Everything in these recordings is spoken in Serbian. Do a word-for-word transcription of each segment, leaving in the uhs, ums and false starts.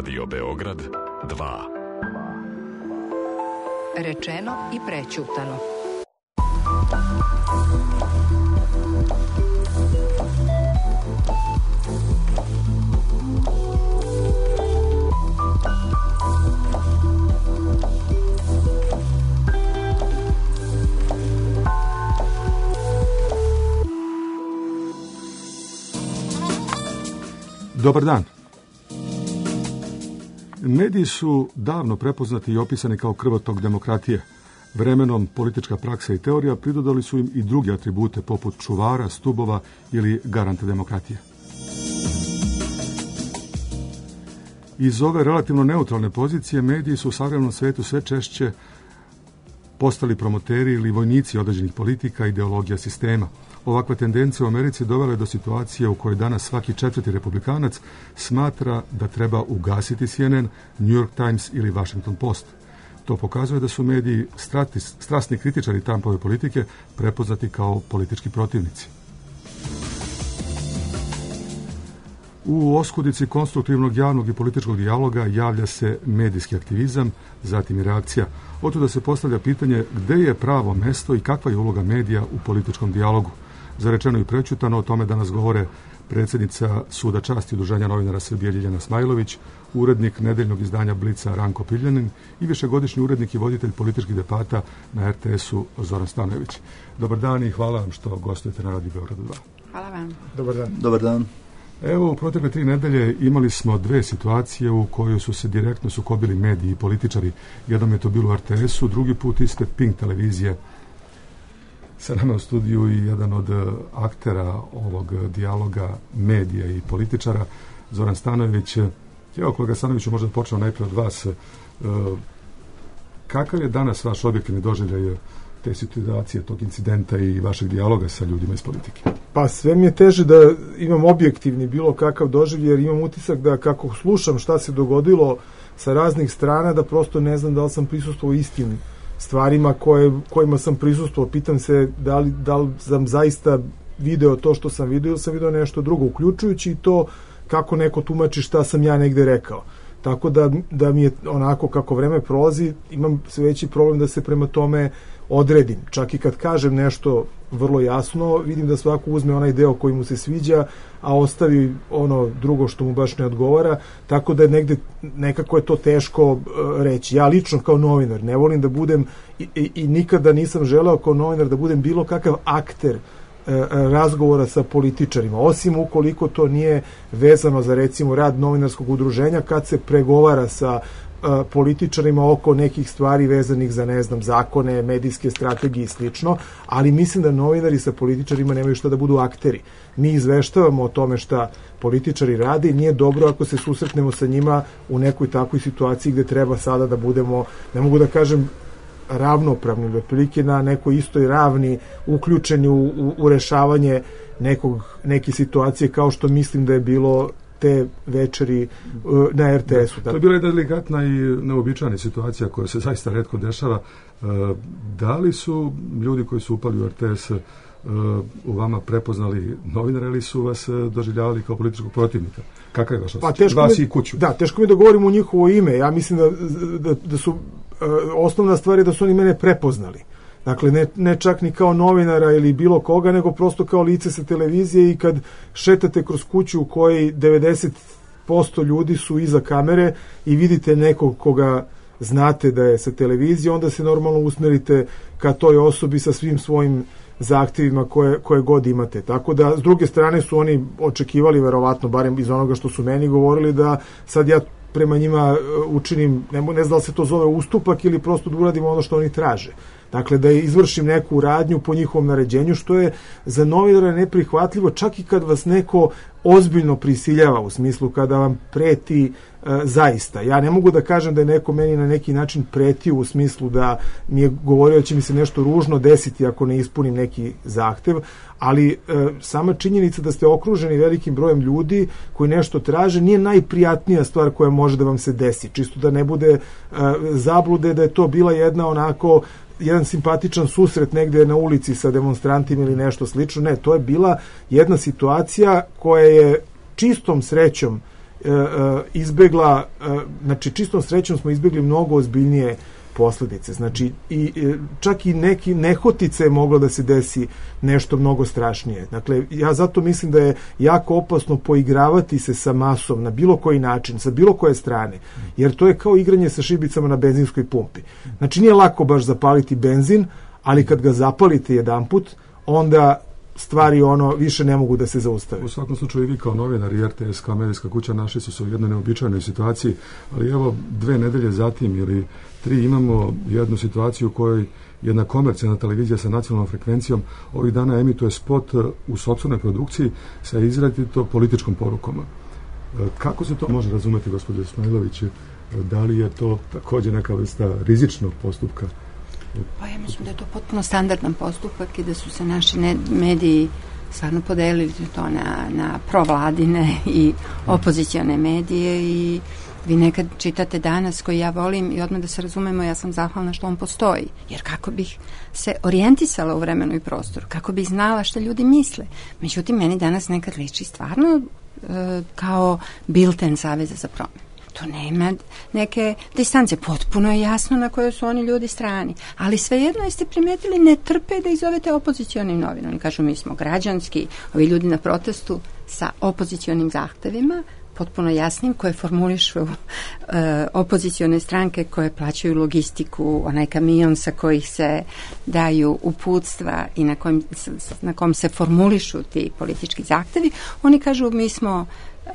Radio Beograd dva. Rečeno i prećutano. Dobar dan. Mediji su davno prepoznati i opisani kao krvotok demokratije. Vremenom politička praksa i teorija pridodali su im i druge atribute poput čuvara, stubova ili garanta demokratije. Iz ove relativno neutralne pozicije mediji su u savremenom svetu sve češće postali promoteri ili vojnici određenih politika i ideologija sistema. Ovakva tendencija u Americi dovela je do situacije u kojoj danas svaki četvrti republikanac smatra da treba ugasiti C N N, New York Times ili Washington Post. To pokazuje da su mediji strati, strasni kritičari Trumpove politike prepoznati kao politički protivnici. U oskudici konstruktivnog javnog i političkog dijaloga javlja se medijski aktivizam, zatim i reakcija. Otuda se postavlja pitanje gde je pravo mesto i kakva je uloga medija u političkom dijalogu. Za rečeno i prećutano o tome danas govore predsjednica Suda časti Udruženja novinara Srbije Ljiljana Smajlović, urednik nedeljnog izdanja Blica Ranko Piljanin i višegodišnji urednik i voditelj političkih debata na R T S-u Zoran Stanojević. Dobar dan i hvala vam što gostujete na Radio Beogradu dva. Hvala vam. Dobar dan. Dobar dan. Evo, u protekle tri nedelje imali smo dve situacije u kojoj su se direktno sukobili mediji i političari. Jednom je to bilo u R T S-u, drugi put ispred Pink televizije. Sa nama u studiju i jedan od aktera ovog dijaloga medija i političara, Zoran Stanojević. Evo, kolega Stanojeviću, možda počnemo najprije od vas. Kakav je danas vaš objektivni doživljaj te situacije, tog incidenta i vašeg dijaloga sa ljudima iz politike? Pa sve mi je teže da imam objektivni bilo kakav doživljaj, jer imam utisak da kako slušam šta se dogodilo sa raznih strana, da prosto ne znam da li sam prisustvovao istim stvarima koje, kojima sam prisustvovao. Pitam se da li, da li sam zaista video to što sam video ili sam video nešto drugo, uključujući i to kako neko tumači šta sam ja negde rekao. Tako da, da mi je onako kako vreme prolazi, imam sve veći problem da se prema tome odredim. Čak i kad kažem nešto vrlo jasno, vidim da svako uzme onaj deo koji mu se sviđa, a ostavi ono drugo što mu baš ne odgovara, tako da negde nekako je to teško uh, reći. Ja lično kao novinar ne volim da budem i, i, i nikada nisam želeo kao novinar da budem bilo kakav akter uh, razgovora sa političarima, osim ukoliko to nije vezano za recimo rad novinarskog udruženja kad se pregovara sa političarima oko nekih stvari vezanih za, ne znam, zakone, medijske strategije i slično, ali mislim da novinari sa političarima nemaju što da budu akteri. Mi izveštavamo o tome šta političari rade i nije dobro ako se susretnemo sa njima u nekoj takvoj situaciji gde treba sada da budemo, ne mogu da kažem ravnopravni, otprilike na nekoj istoj ravni uključeni u, u, u rešavanje nekog, neke situacije kao što mislim da je bilo te večeri uh, na R T S-u. Da, to je bila jedna delikatna i neobičajna situacija koja se zaista retko dešava. Uh, da li su ljudi koji su upali u R T S uh, u vama prepoznali novinare ili su vas uh, doživljavali kao političkog protivnika? Kakav je vaš osjećaj? Pa vas mi, i kuću. Da, teško mi da govorim u njihovo ime. Ja mislim da, da, da su uh, osnovna stvar je da su oni mene prepoznali. Dakle, ne, ne čak ni kao novinara ili bilo koga, nego prosto kao lice sa televizije i kad šetate kroz kuću u kojoj devedeset posto ljudi su iza kamere i vidite nekog koga znate da je sa televizije, onda se normalno usmerite ka toj osobi sa svim svojim zahtjevima koje, koje god imate. Tako da, s druge strane su oni očekivali, verovatno, barem iz onoga što su meni govorili, da sad ja prema njima učinim, ne, ne znam da li se to zove ustupak ili prosto da uradim ono što oni traže. Dakle, da izvršim neku radnju po njihovom naređenju, što je za novinara neprihvatljivo, čak i kad vas neko ozbiljno prisiljava, u smislu kada vam preti e, zaista. Ja ne mogu da kažem da je neko meni na neki način pretio u smislu da mi je govorio da će mi se nešto ružno desiti ako ne ispunim neki zahtev, ali e, sama činjenica da ste okruženi velikim brojem ljudi koji nešto traže nije najprijatnija stvar koja može da vam se desi. Čisto da ne bude e, zablude da je to bila jedna onako jedan simpatičan susret negde na ulici sa demonstrantima ili nešto slično. Ne, to je bila jedna situacija koja je čistom srećom e, e, izbegla, e, znači čistom srećom smo izbegli mnogo ozbiljnije posledice. Znači, i, e, čak i neki nehotice je moglo da se desi nešto mnogo strašnije. Dakle, ja zato mislim da je jako opasno poigravati se sa masom na bilo koji način, sa bilo koje strane, jer to je kao igranje sa šibicama na benzinskoj pumpi. Znači, nije lako baš zapaliti benzin, ali kad ga zapalite jedanput, onda stvari ono više ne mogu da se zaustave. U svakom slučaju i vi kao novinar i R T S kao medijska kuća našli su se u jednoj neobičajnoj situaciji, ali evo dve nedelje zatim ili tri imamo jednu situaciju u kojoj jedna komercijalna televizija sa nacionalnom frekvencijom ovih dana emituje spot u sopstvenoj produkciji sa izrazito političkom porukom. Kako se to može razumeti, gospođo Ismailović? Da li je to također neka vrsta rizičnog postupka? Pa ja mislim da je to potpuno standardan postupak i da su se naši mediji stvarno podelili to na, na provladine i opozicione medije i vi nekad čitate Danas koji ja volim i odmah da se razumemo, ja sam zahvalna što on postoji, jer kako bih se orijentisala u vremenu i prostoru, kako bih znala šta ljudi misle. Međutim, meni Danas nekad liči stvarno e, kao bilten Saveza za promenu. To nema neke distance. Potpuno je jasno na kojoj su oni ljudi strani. Ali svejedno jeste primetili, ne trpe da ih zovete opozicionim novinom. Oni kažu mi smo građanski, ovi ljudi na protestu sa opozicionim zahtevima, potpuno jasnim, koje formulišu uh, opozicione stranke koje plaćaju logistiku, onaj kamion sa kojih se daju uputstva i na, kojim, na kom se formulišu ti politički zahtevi. Oni kažu mi smo Uh,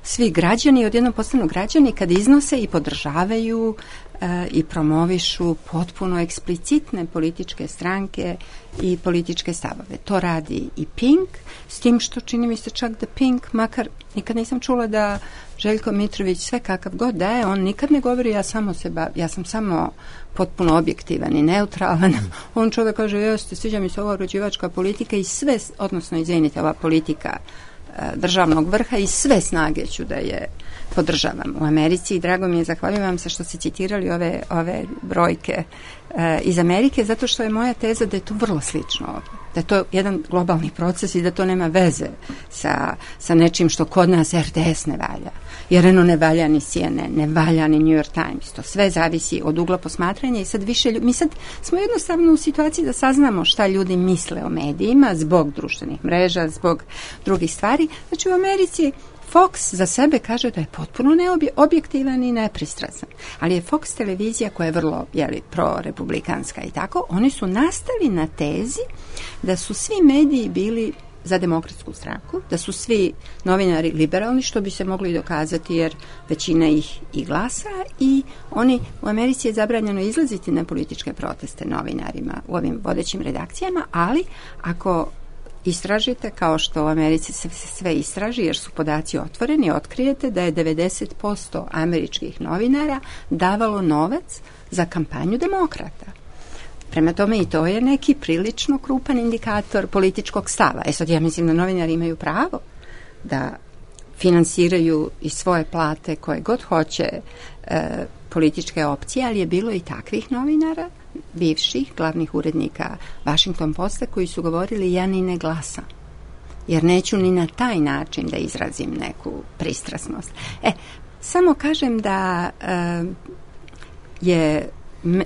svi građani, odjednom postanu građani kad iznose i podržavaju uh, i promovišu potpuno eksplicitne političke stranke i političke stavove. To radi i Pink, s tim što čini mi se čak da Pink, makar nikad nisam čula da Željko Mitrović sve kakav god da je, on nikad ne govori ja samo se bav, ja sam samo potpuno objektivan i neutralan. On čovjek kaže, jeste, sviđa mi se ova uređivačka politika i sve, odnosno izvinite, ova politika državnog vrha i sve snage ću da je podržavam. U Americi, i drago mi je, zahvaljujem vam se što ste citirali ove, ove brojke e, iz Amerike, zato što je moja teza da je to vrlo slično ovdje. Da je to jedan globalni proces i da to nema veze sa, sa nečim što kod nas R T S ne valja. Jer eno ne valja ni C N N, ne valja ni New York Times. To sve zavisi od ugla posmatranja i sad više ljudi, mi sad smo jednostavno u situaciji da saznamo šta ljudi misle o medijima zbog društvenih mreža, zbog drugih stvari. Znači u Americi Fox za sebe kaže da je potpuno neobjektivan i nepristrasan. Ali je Fox televizija koja je vrlo, jeli, pro-republikanska i tako, oni su nastali na tezi da su svi mediji bili za demokratsku stranku, da su svi novinari liberalni, što bi se mogli dokazati jer većina ih i glasa i oni, u Americi je zabranjeno izlaziti na političke proteste novinarima u ovim vodećim redakcijama, ali ako istražite, kao što u Americi se sve istraži, jer su podaci otvoreni, otkrijete da je devedeset posto američkih novinara davalo novac za kampanju demokrata. Prema tome i to je neki prilično krupan indikator političkog stava. E sad ja mislim da novinari imaju pravo da finansiraju i svoje plate koje god hoće e, političke opcije, ali je bilo i takvih novinara, bivših glavnih urednika Washington Posta koji su govorili ja ni ne glasam, jer neću ni na taj način da izrazim neku pristrasnost. E, samo kažem da e, je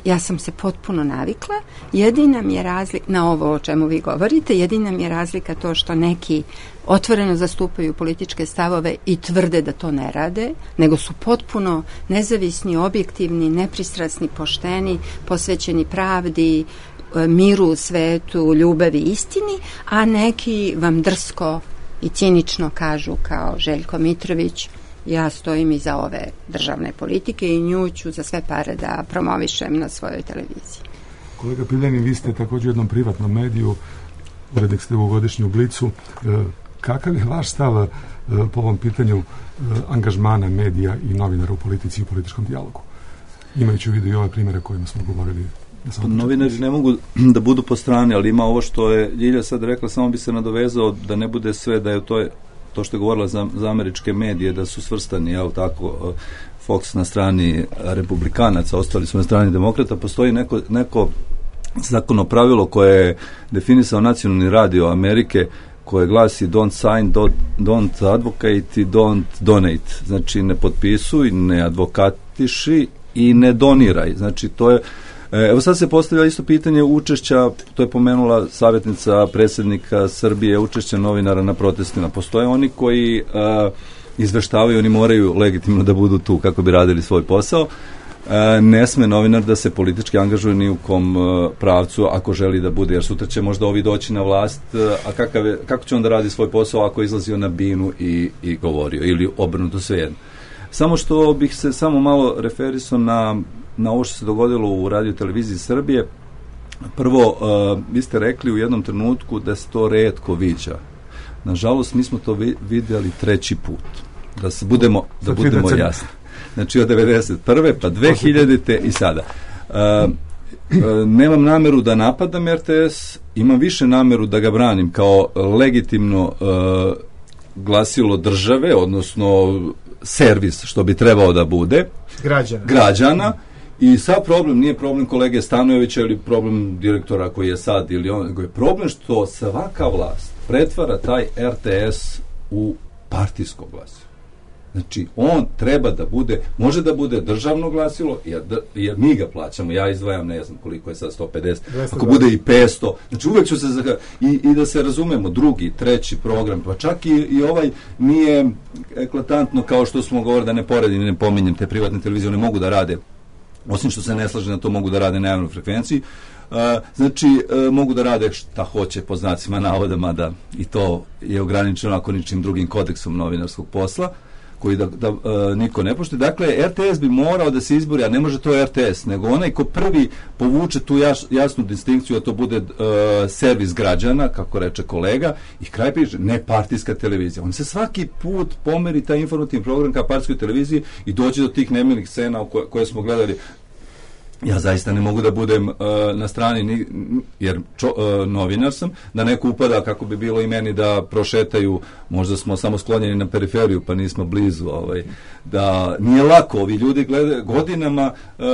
ja sam se potpuno navikla, jedina mi je razlika na ovo o čemu vi govorite, jedina mi je razlika to što neki otvoreno zastupaju političke stavove i tvrde da to ne rade, nego su potpuno nezavisni, objektivni, nepristrasni, pošteni, posvećeni pravdi, miru u svetu, ljubavi, istini, a neki vam drsko i cinično kažu kao Željko Mitrović, ja stojim iza ove državne politike i nju ću za sve pare da promovišem na svojoj televiziji. Kolega Piljanin, vi ste također u jednom privatnom mediju, urednik ste u godišnju Blicu. Kakav je vaš stav po ovom pitanju angažmana medija i novinara u politici i u političkom dijalogu? Imajući u vidu i ove primjere kojima smo govorili. Novinari ne mogu da budu po strani, ali ima ovo što je Ljilja sad rekla, samo bi se nadovezao da ne bude sve da je to to što je govorila za, za američke medije, da su svrstani, jel tako, Fox na strani republikanaca, ostali su na strani demokrata. Postoji neko, neko zakonno pravilo koje je definisao nacionalni radio Amerike koje glasi don't sign, don't, don't advocate i don't donate. Znači ne potpisuj, ne advokatiši i ne doniraj. Znači to je, evo sad se postavlja isto pitanje učešća, to je pomenula savjetnica predsjednika Srbije, učešća novinara na protestima. Postoje oni koji uh, izveštavaju, oni moraju legitimno da budu tu kako bi radili svoj posao. E, ne sme novinar da se politički angažuje ni u kom e, pravcu ako želi da bude, jer sutra će možda ovi doći na vlast, e, a kakav je, kako će on da radi svoj posao ako je izlazio na binu i, i govorio, ili obrnuto svejedno. Samo što bih se samo malo referisao na, na ovo što se dogodilo u Radio televiziji Srbije. Prvo, e, vi ste rekli u jednom trenutku da se to retko viđa. Nažalost, mi smo to vi, vidjeli treći put. Da se budemo, da budemo jasni. Znači od devedeset prve pa dve hiljadite i sada. Uh, uh, nemam nameru da napadam R T S, imam više nameru da ga branim kao legitimno uh, glasilo države, odnosno servis, što bi trebao da bude. Građana. Građana. I sad problem nije problem kolege Stanojevića ili problem direktora koji je sad, ili on, nego je problem što svaka vlast pretvara taj R T S u partijsko glasilo. Znači, on treba da bude, može da bude državno glasilo, jer, jer mi ga plaćamo, ja izdvajam, ne znam koliko je sad, sto pedeset, ako bude i petsto, znači uvek ću se, zaka, i, i da se razumemo, drugi, treći program, pa čak i, i ovaj nije eklatantno kao što smo govorili, da ne poredim, ne pominjem, te privatne televizije, one mogu da rade, osim što se ne slaže na to, mogu da rade na javnoj frekvenciji. Uh, znači, uh, mogu da rade šta hoće po znacima navoda, mada i to je ograničeno ako ničim drugim kodeksom novinarskog posla, koji da, da uh, niko ne poštuje. Dakle, R T S bi morao da se izbori, a ne može to R T S, nego onaj ko prvi povuče tu jaš, jasnu distinkciju, a to bude uh, servis građana, kako reče kolega, i kraj piše, ne partijska televizija. On se svaki put pomeri taj informativni program ka partijskoj televiziji i dođe do tih nemilih scena koje, koje smo gledali. Ja zaista ne mogu da budem uh, na strani, ni, jer čo, uh, novinar sam, da neko upada, kako bi bilo i meni, da prošetaju, možda smo samo sklonjeni na periferiju, pa nismo blizu, ovaj, da nije lako, ovi ljudi gledaju godinama, uh,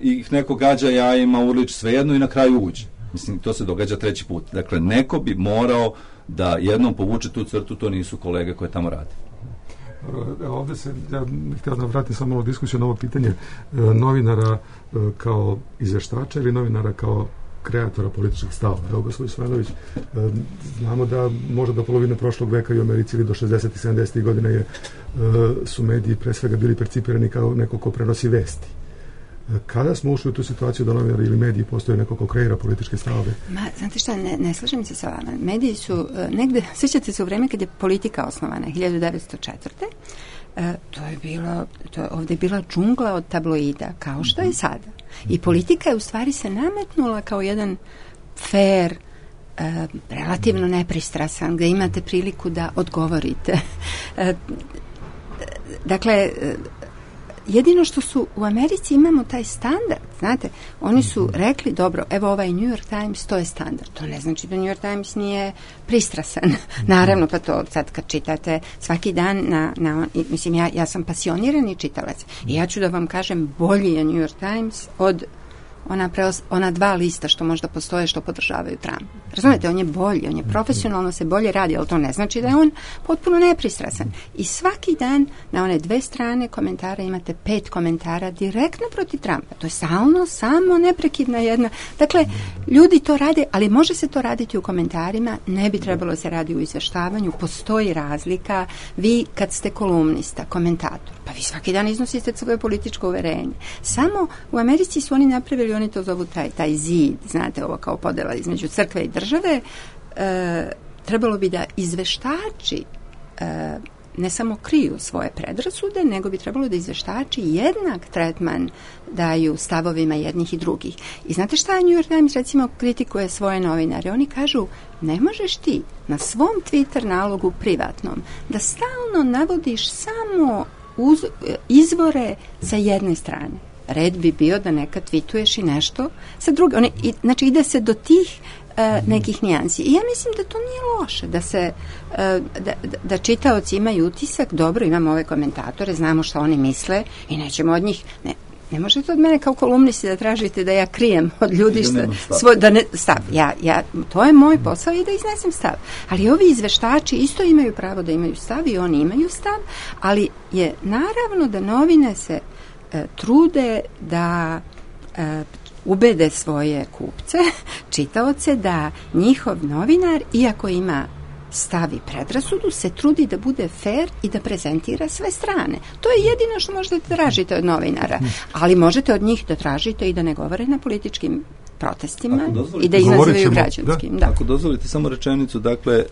ih neko gađa jajima, urlič, svejedno i na kraju uđe. Mislim, to se događa treći put. Dakle, neko bi morao da jednom povuče tu crtu, to nisu kolege koje tamo rade. Ovdje se, ja htio da vratim samo malo diskusiju na ovo pitanje e, novinara e, kao izveštača ili novinara kao kreatora političkih stavova. Evo, gospodin Svajlović, e, znamo da možda do polovine prošlog veka i u Americi ili do šezdesetih i sedamdesetih godina je, e, su mediji pre svega bili percipirani kao neko ko prenosi vesti. Kada smo ušli u tu situaciju da novinari ili mediji postoje neko ko kreira političke stavove? Ma, znate šta, ne, ne slažem se sa vama. Mediji su uh, negde, sjećate se u vreme kad je politika osnovana, hiljadu devetsto četvrte. Uh, to je bilo, to je ovdje bila džungla od tabloida, kao što je sada. I politika je u stvari se nametnula kao jedan fair, uh, relativno nepristrasan, gde imate priliku da odgovorite. Uh, dakle, uh, jedino što su u Americi imamo taj standard, znate, oni su rekli, dobro, evo ovaj New York Times, to je standard. To ne znači da New York Times nije pristrasan. Naravno, pa to sad kad čitate svaki dan na, na mislim, ja, ja sam pasionirani čitalac i ja ću da vam kažem, bolji je New York Times od ona, preos, ona dva lista što možda postoje što podržavaju Trump. Razumete, on je bolji, on je profesionalno se bolje radi, ali to ne znači da je on potpuno nepristrasan. I svaki dan na one dve strane komentara imate pet komentara direktno protiv Trumpa. To je stalno, samo neprekidna jedna. Dakle, ljudi to rade, ali može se to raditi u komentarima, ne bi trebalo se radi u izveštavanju, postoji razlika. Vi kad ste kolumnista, komentator, pa vi svaki dan iznosite svoje političko uverenje. Samo u Americi su oni napravili, oni to zovu taj, taj zid, znate, ovo kao podela između crkve i države, e, trebalo bi da izveštači e, ne samo kriju svoje predrasude, nego bi trebalo da izveštači jednak tretman daju stavovima jednih i drugih. I znate šta New York Times recimo kritikuje svoje novinare? Oni kažu, ne možeš ti na svom Twitter nalogu privatnom da stalno navodiš samo uz, izvore sa jedne strane. Red bi bio da nekad tweetuješ i nešto sa druge. One, i, znači ide se do tih uh, nekih nijansi. I ja mislim da to nije loše, da se uh, da, da čitaoci imaju utisak, dobro, imamo ove komentatore, znamo šta oni misle i nećemo od njih, ne, ne možete od mene kao kolumnisti da tražite da ja krijem od ljudi što, svoj, da ne, stav. Ja, ja, to je moj posao i da iznesem stav. Ali ovi izveštači isto imaju pravo da imaju stav i oni imaju stav, ali je naravno da novine se e, trude da e, ubede svoje kupce, čitaoce, da njihov novinar, iako ima stavi predrasudu, se trudi da bude fair i da prezentira sve strane. To je jedino što možete tražiti od novinara, ali možete od njih da tražite i da ne govore na političkim protestima i da ih nazivaju građanskim. Da. Da. Ako dozvolite samo rečenicu, dakle,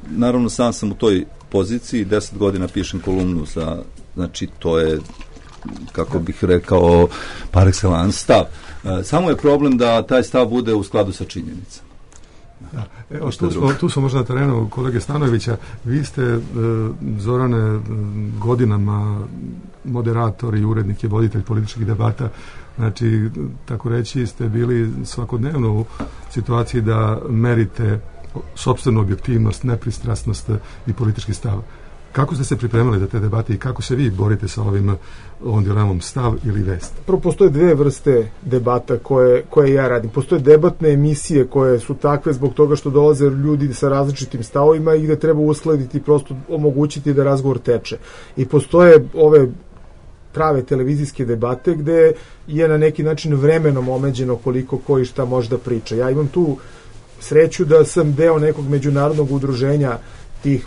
naravno sam sam u toj poziciji, deset godina pišem kolumnu za, znači to je, kako bih rekao, par excellence stav. Samo je problem da taj stav bude u skladu sa činjenicama. Da. Evo, tu, smo, tu smo možda na terenu kolege Stanojevića. Vi ste, e, Zorane, godinama moderator i urednik i voditelj političkih debata. Znači, tako reći, ste bili svakodnevno u situaciji da merite sopstvenu objektivnost, nepristrasnost i politički stav. Kako ste se pripremali za te debate i kako se vi borite sa ovim ovom dilemom stav ili vest? Prvo, postoje dve vrste debata koje, koje ja radim. Postoje debatne emisije koje su takve zbog toga što dolaze ljudi sa različitim stavovima i gde treba uskladiti i prosto omogućiti da razgovor teče. I postoje ove prave televizijske debate gde je na neki način vremenom omeđeno koliko koji šta može da priča. Ja imam tu sreću da sam deo nekog međunarodnog udruženja tih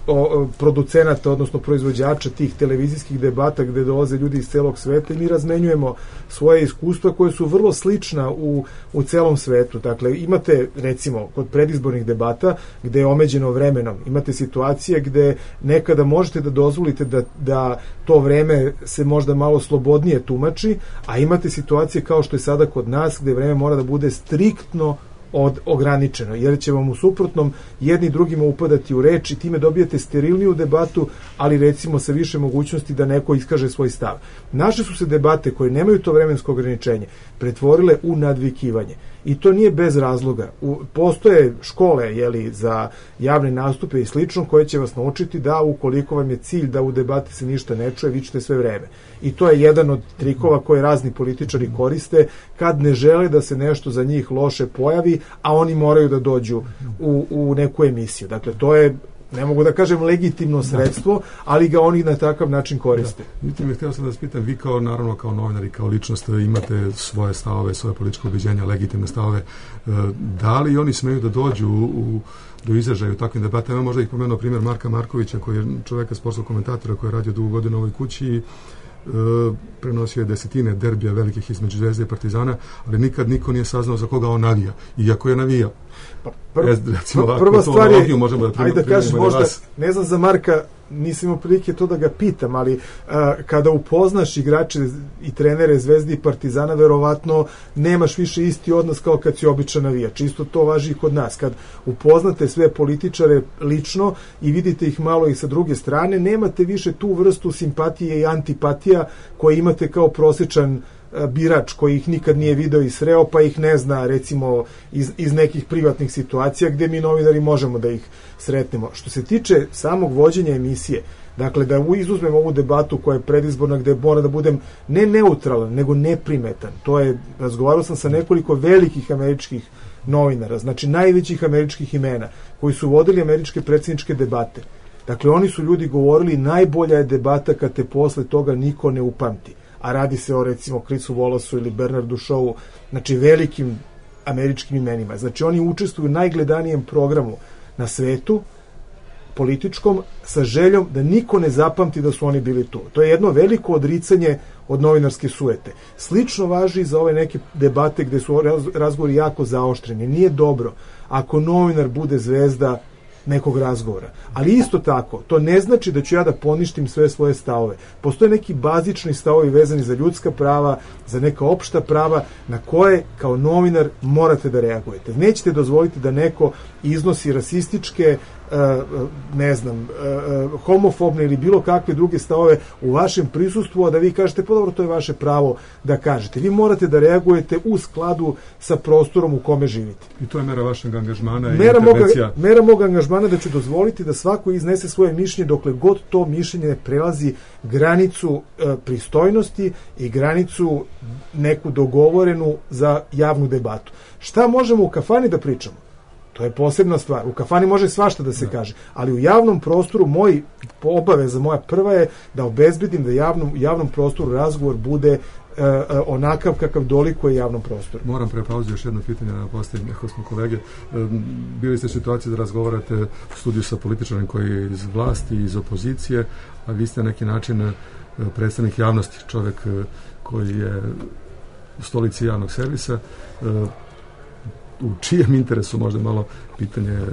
o, producenata, odnosno proizvođača tih televizijskih debata gde dolaze ljudi iz celog sveta i mi razmenjujemo svoje iskustva koje su vrlo slična u, u celom svetu. Dakle, imate recimo kod predizbornih debata gde je omeđeno vremenom, imate situacije gde nekada možete da dozvolite da, da to vreme se možda malo slobodnije tumači, a imate situacije kao što je sada kod nas gde vreme mora da bude striktno od ograničeno, jer će vam u suprotnom jedni drugima upadati u reč i time dobijete sterilniju debatu, ali recimo sa više mogućnosti da neko iskaže svoj stav. Naše su se debate koje nemaju to vremensko ograničenje pretvorile u nadvikivanje. I to nije bez razloga. U, postoje škole jeli, za javne nastupe i slično koje će vas naučiti da ukoliko vam je cilj da u debati se ništa ne čuje, vi ćete sve vreme. I to je jedan od trikova koje razni političari koriste kad ne žele da se nešto za njih loše pojavi, a oni moraju da dođu u, u neku emisiju. Dakle, to je, ne mogu da kažem legitimno sredstvo, ali ga oni na takav način koriste. Da. Htio sam da vas pitam, vi kao, naravno, kao novinar i kao ličnost imate svoje stavove, svoje političke ubeđenja, legitimne stavove. Da li oni smeju da dođu u, do izražaja u takvim debatama? Možda ih pomenuo primjer Marka Markovića, koji je čoveka sportskog komentatora koji je radio dugo godina u ovoj kući i prenosio je desetine derbija velikih između Zvezde i Partizana, ali nikad niko nije saznao za koga on navija, iako je navijao. Pa pr Ez, recimo, pr prva stvar je, možemo da primjer, ajde da kažeš možda, vas. Ne znam za Marka, nisam imao prilike to da ga pitam, ali a, kada upoznaš igrače i trenere Zvezde i Partizana, verovatno nemaš više isti odnos kao kad si običan navijač. Isto to važi i kod nas. Kad upoznate sve političare lično i vidite ih malo i sa druge strane, nemate više tu vrstu simpatije i antipatija koje imate kao prosječan birač koji ih nikad nije video i sreo, pa ih ne zna recimo iz, iz nekih privatnih situacija gde mi novinari možemo da ih sretnemo. Što se tiče samog vođenja emisije, dakle da izuzmem ovu debatu koja je predizborna gde mora da budem ne neutralan, nego neprimetan. To je, razgovarao sam sa nekoliko velikih američkih novinara, znači najvećih američkih imena, koji su vodili američke predsjedničke debate. Dakle, oni su ljudi govorili najbolja je debata kad te posle toga niko ne upamti. A radi se o recimo Chrisu Wallace ili Bernardu Shawu, znači velikim američkim imenima. Znači oni učestvuju u najgledanijem programu na svetu, političkom, sa željom da niko ne zapamti da su oni bili tu. To je jedno veliko odricanje od novinarske sujete. Slično važi i za ove neke debate gde su razgovori jako zaoštreni. Nije dobro ako novinar bude zvezda nekog razgovora. Ali isto tako, to ne znači da ću ja da poništim sve svoje stavove. Postoje neki bazični stavovi vezani za ljudska prava, za neka opšta prava na koje kao novinar morate da reagujete. Nećete dozvoliti da neko iznosi rasističke ne znam, homofobne ili bilo kakve druge stavove u vašem prisustvu, a da vi kažete, pa dobro, to je vaše pravo da kažete. Vi morate da reagujete u skladu sa prostorom u kome živite. I to je mera vašeg angažmana i mera intervencija. Moga, mera mog angažmana da ću dozvoliti da svako iznese svoje mišljenje dokle god to mišljenje ne prelazi granicu e, pristojnosti i granicu neku dogovorenu za javnu debatu. Šta možemo u kafani da pričamo? To je posebna stvar. U kafani može svašta da se da. kaže, ali u javnom prostoru moj obaveza, moja prva je da obezbedim da javnom, javnom prostoru razgovor bude uh, uh, onakav kakav dolikuje javnom prostoru. Moram pre pauze još jedno pitanje da postavim, ako smo kolege. Um, bili ste u situaciji da razgovarate u studiju sa političarem koji je iz vlasti, iz opozicije, a vi ste na neki način uh, predstavnik javnosti, čovjek uh, koji je u stolici javnog servisa. Uh, u čijem interesu, možda malo pitanje e,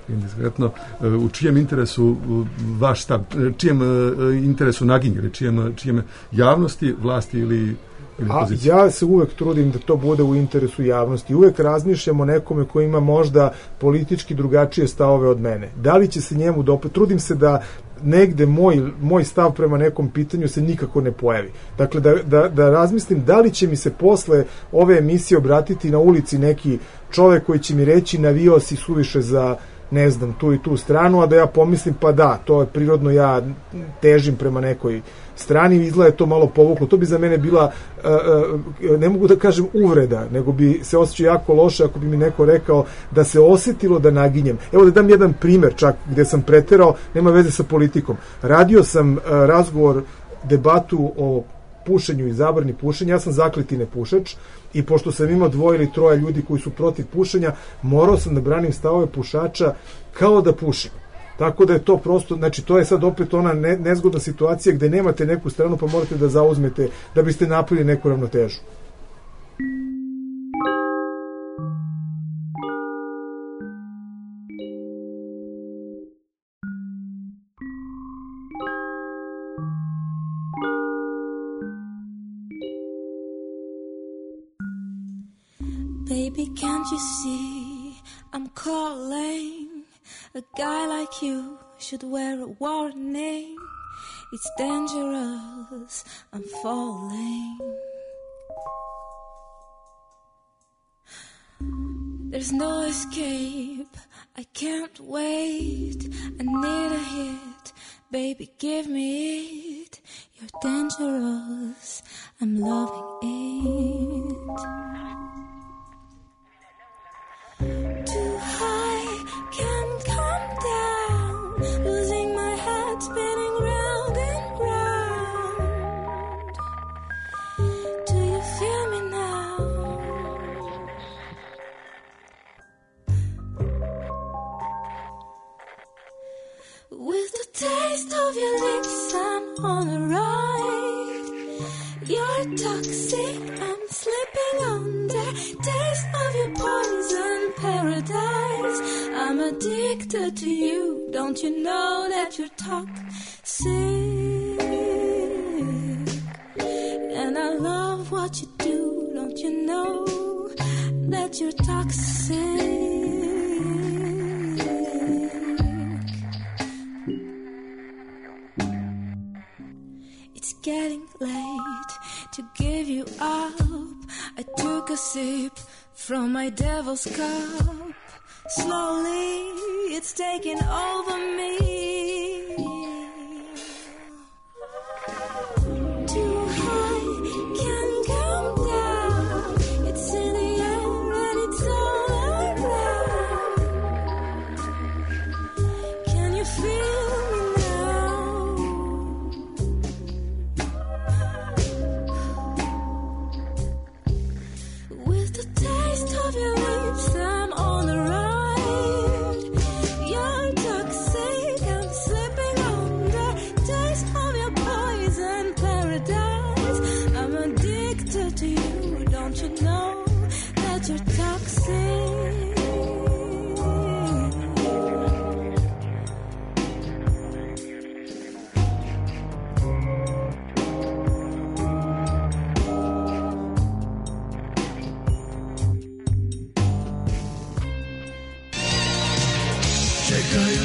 indiskretno, e, u čijem interesu vaš stav, čijem e, interesu naginje, čijem, čijem javnosti, vlasti ili, ili A pozicije? ja se uvek trudim da to bude u interesu javnosti. Uvek razmišljam o nekome koji ima možda politički drugačije stavove od mene. Da li će se njemu dopati? Trudim se da negde moj, moj stav prema nekom pitanju se nikako ne pojavi. Dakle, da, da, da razmislim da li će mi se posle ove emisije obratiti na ulici neki čovek koji će mi reći navio si suviše za, ne znam, tu i tu stranu, a da ja pomislim pa da, to je prirodno, ja težim prema nekoj strani, izgleda je to malo povuklo. To bi za mene bila, uh, uh, ne mogu da kažem uvreda, nego bi se osjećao jako loše ako bi mi neko rekao da se osjetilo da naginjem. Evo da dam jedan primer čak gde sam preterao, nema veze sa politikom. Radio sam uh, razgovor, debatu o pušenju i zabrani pušenja. Ja sam zakleti nepušač i pošto sam imao dvoje ili troje ljudi koji su protiv pušenja, morao sam da branim stavove pušača kao da pušim. Tako da je to prosto, znači to je sad opet ona ne, nezgodna situacija gde nemate neku stranu pa morate da zauzmete da biste napravili neku ravnotežu. Baby, can't you see I'm calling? A guy like you should wear a warning. It's dangerous, I'm falling. There's no escape, I can't wait. I need a hit, baby, give me it. You're dangerous, I'm loving it. Too high, can't come down. Losing my head, spinning round and round. Do you feel me now? With the taste of your lips, I'm on a ride. You're toxic, I'm slipping under. Taste of your poison paradise. I'm addicted to you. Don't you know that you're toxic? And I love what you do. Don't you know that you're toxic? It's getting late to give you up. I took a sip from my devil's cup. Slowly, it's taking over me. Too high, can't come down. It's in the air and it's all around. Can you feel me now? With the taste of your lips, I'm on the ride. You're toxic, I'm slipping under. Taste of your poison paradise. I'm addicted to you. Don't you know that you're toxic?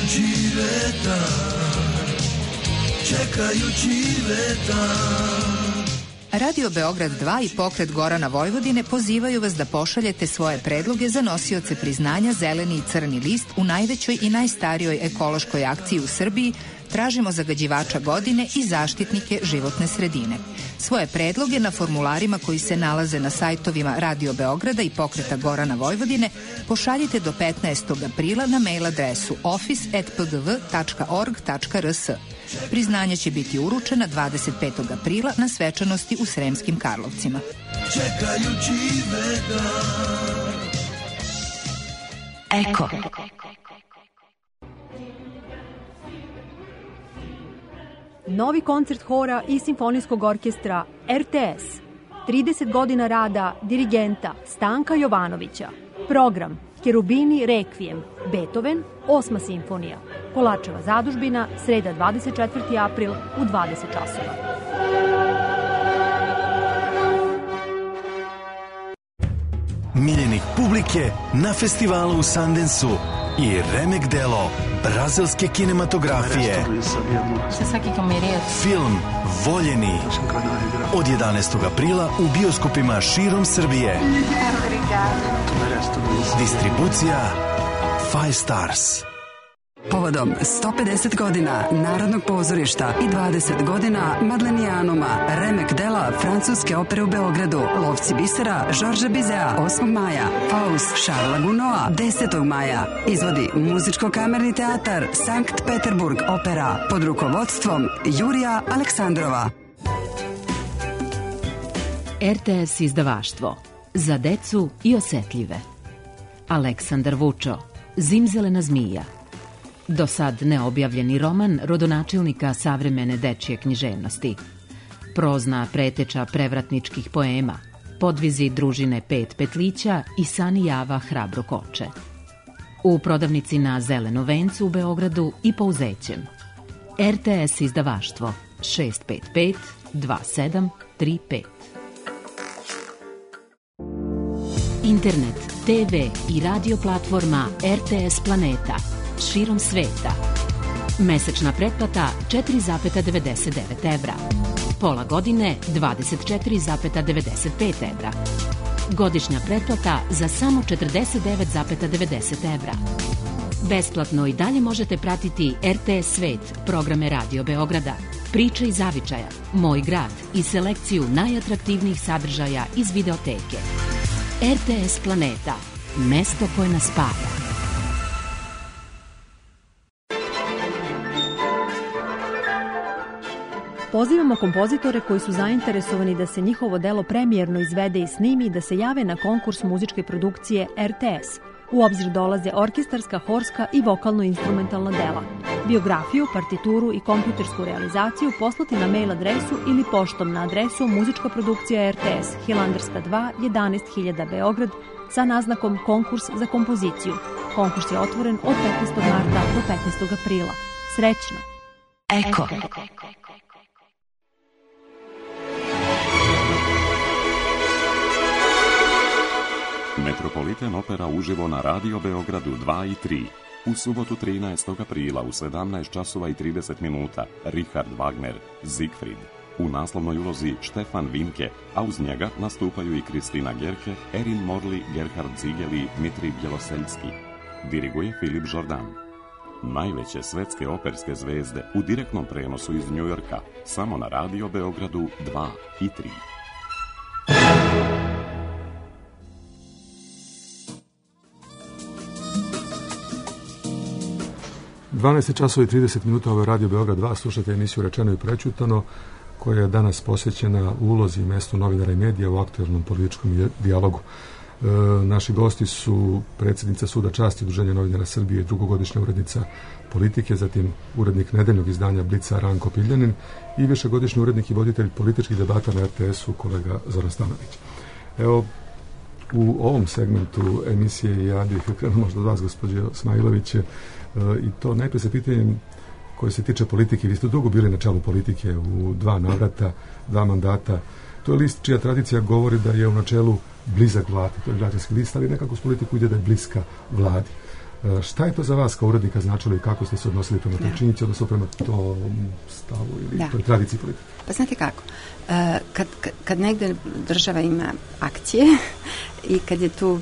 čekaju Čileta, čekaju Čileta. Radio Beograd dva i pokret Gorana Vojvodine pozivaju vas da pošaljete svoje predloge za nosioce priznanja Zeleni i Crni list u najvećoj i najstarijoj ekološkoj akciji u Srbiji Tražimo zagađivača godine i zaštitnike životne sredine. Svoje predloge na formularima koji se nalaze na sajtovima Radio Beograda i pokreta Gorana Vojvodine pošaljite do petnaestog aprila na mail adresu office at p g v tačka org tačka r s. Priznanje će biti uručena dvadeset petog aprila na svečanosti u Sremskim Karlovcima. Čekajući veda. Eko. Novi koncert hora i simfonijskog orkestra R T S. trideset godina rada dirigenta Stanka Jovanovića. Program Cherubini Requiem, Beethoven, osma simfonija. Kolačeva zadužbina, sreda dvadeset četvrti april u dvadeset časova. Miljenik publike na festivalu u Sundanceu i remek delo brazilske kinematografije. Film Voljeni od jedanaestog aprila u bioskopima širom Srbije. Distribucija Five Stars. Povodom sto pedeset godina Narodnog pozorišta i dvadeset godina Madlenijanuma, remek dela francuske opere u Beogradu, Lovci bisera Žorža Bizea osmog maja, Faust Šarla Gunoa desetog maja, izvodi Muzičko-kamerni teatar Sankt Peterburg opera pod rukovodstvom Jurija Aleksandrova. R T S izdavaštvo za decu i osetljive. Aleksandar Vučo, Zimzelena zmija. Do sad neobjavljeni roman rodonačelnika savremene dečje književnosti. Prozna preteča prevratničkih poema, podvizi družine Pet petlića i Sani Java hrabro koče. U prodavnici na Zelenom vencu u Beogradu i Pouzećem. R T S izdavaštvo šest pet pet dva sedam tri pet. Internet, te ve i radio platforma R T S Planeta širom sveta. Mesečna pretplata četiri zarez devedeset devet evra. Pola godine dvadeset četiri zarez devedeset pet evra. Godišnja pretplata za samo četrdeset devet zarez devedeset evra. Besplatno i dalje možete pratiti R T S Svet, programe Radio Beograda, Priče iz zavičaja, Moj grad i selekciju najatraktivnijih sadržaja iz videoteke. R T S Planeta, mesto koje nas spaja. Pozivamo kompozitore koji su zainteresovani da se njihovo delo premijerno izvede i snimi da se jave na konkurs muzičke produkcije R T S. U obzir dolaze orkestarska, horska i vokalno-instrumentalna dela. Biografiju, partituru i kompjutersku realizaciju poslati na mail adresu ili poštom na adresu muzička produkcija R T S, Hilandarska dva, jedanaest hiljada Beograd, sa naznakom konkurs za kompoziciju. Konkurs je otvoren od petnaestog marta do petnaestog aprila. Srećno! Eko. Metropolitan opera uživo na Radio Beogradu dva i tri. U subotu trinaestog aprila u sedamnaest časova i trideset minuta Richard Wagner, Siegfried. U naslovnoj ulozi Štefan Vinke, a uz njega nastupaju i Kristina Gerke, Erin Morley, Gerhard Ziegel i Dmitri Bjeloseljski. Diriguje Filip Jordan. Najveće svetske operske zvezde u direktnom prenosu iz Njujorka, samo na Radio Beogradu dva i tri. dvanaest časova i trideset minuta, ovo je Radio Beograd dva, slušate emisiju Rečeno i prećutano, koja je danas posvećena ulozi i mestu novinara i medija u aktuelnom političkom dijalogu. E, naši gosti su predsjednica Suda časti Udruženja novinara Srbije i drugogodišnja urednica Politike, zatim urednik nedeljnog izdanja Blica Ranko Piljanin i višegodišnji urednik i voditelj političkih debata na R T S-u kolega Zoran Stanović. Evo, u ovom segmentu emisije ja bih krenuo možda od vas, gospođo Smailović, i to najprije sa pitanjem koje se tiče politike. Vi ste dugo bili na čelu politike u dva navrata, dva mandata. To je list čija tradicija govori da je u načelu blizak vladi, to je građanski list, ali nekako s politiku ide da je bliska vladi. Šta je to za vas kao urednika značilo i kako ste se odnosili prema toj činjenici, odnosno prema tom stavu ili da. toj tradiciji politike? Pa znate kako, kad, kad, kad negde država ima akcije i kad je tu,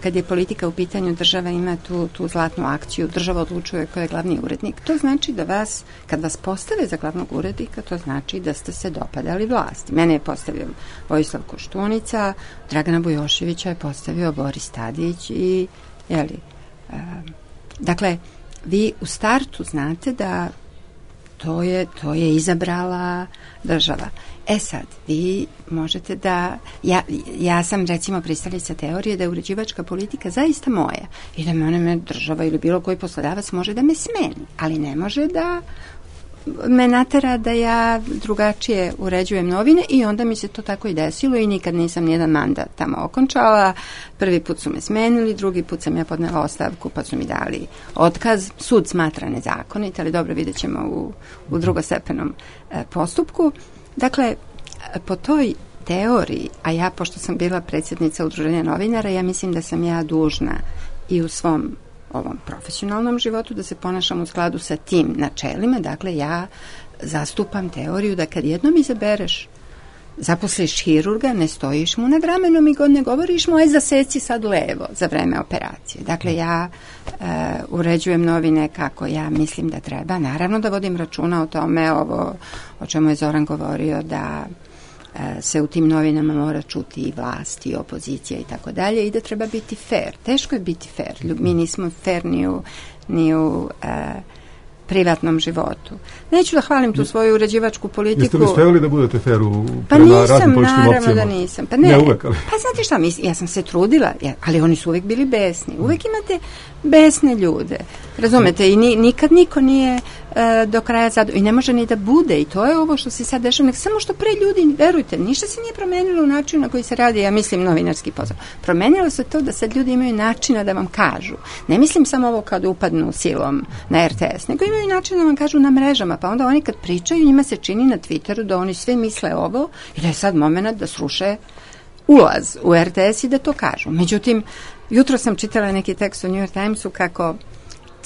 kad je politika u pitanju, država ima tu, tu zlatnu akciju, država odlučuje ko je glavni urednik, to znači da vas, kad vas postave za glavnog urednika, to znači da ste se dopadali vlasti. Mene je postavio Vojislav Koštunica, Dragana Bujoševića je postavio Boris Tadić i, jeli, uh, dakle, vi u startu znate da to je, to je izabrala država. E sad, vi možete da... Ja, ja sam, recimo, pristalica teorije da je uređivačka politika zaista moja i da me, me država ili bilo koji poslodavac može da me smeni, ali ne može da me natera da ja drugačije uređujem novine i onda mi se to tako i desilo i nikad nisam nijedan mandat tamo okončala. Prvi put su me smenili, drugi put sam ja podnela ostavku pa su mi dali otkaz. Sud smatra nezakonit, ali dobro, vidjet ćemo u, u drugostepenom e, postupku. Dakle, po toj teoriji, a ja pošto sam bila predsjednica Udruženja novinara, ja mislim da sam ja dužna i u svom ovom profesionalnom životu da se ponašam u skladu sa tim načelima. Dakle, ja zastupam teoriju da kad jednom izabereš, zaposliš hirurga, ne stojiš mu nad ramenom i god ne govoriš mu, aj zaseci sad levo za vreme operacije. Dakle, ja e, uređujem novine kako ja mislim da treba. Naravno da vodim računa o tome, ovo o čemu je Zoran govorio, da se u tim novinama mora čuti i vlast i opozicija i tako dalje i da treba biti fair. Teško je biti fair. Mi nismo fair ni u, ni u e, privatnom životu. Neću da hvalim tu svoju uređivačku politiku. Jeste li stajali da budete fair u pa nisam, naravno da nisam. Pa ne, ne uvek, ali. Pa znate šta, mis, ja sam se trudila, ja, ali oni su uvek bili besni. Uvek imate besne ljude. Razumete? I ni, nikad niko nije e, do kraja zadovoljan. I ne može ni da bude. I to je ovo što se sad dešava. Nek samo što pre ljudi, verujte, ništa se nije promenilo u načinu na koji se radi, ja mislim, novinarski posao. Promenilo se to da sad ljudi imaju načina da vam kažu. Ne mislim samo ovo kad upadnu silom na er te es, nego imaju način da vam kažu na mrežama. Pa onda oni kad pričaju, njima se čini na Twitteru da oni svi misle ovo i da je sad moment da sruše ulaz u er te es i da to kažu. Međutim, jutro sam čitala neki tekst u New York Timesu kako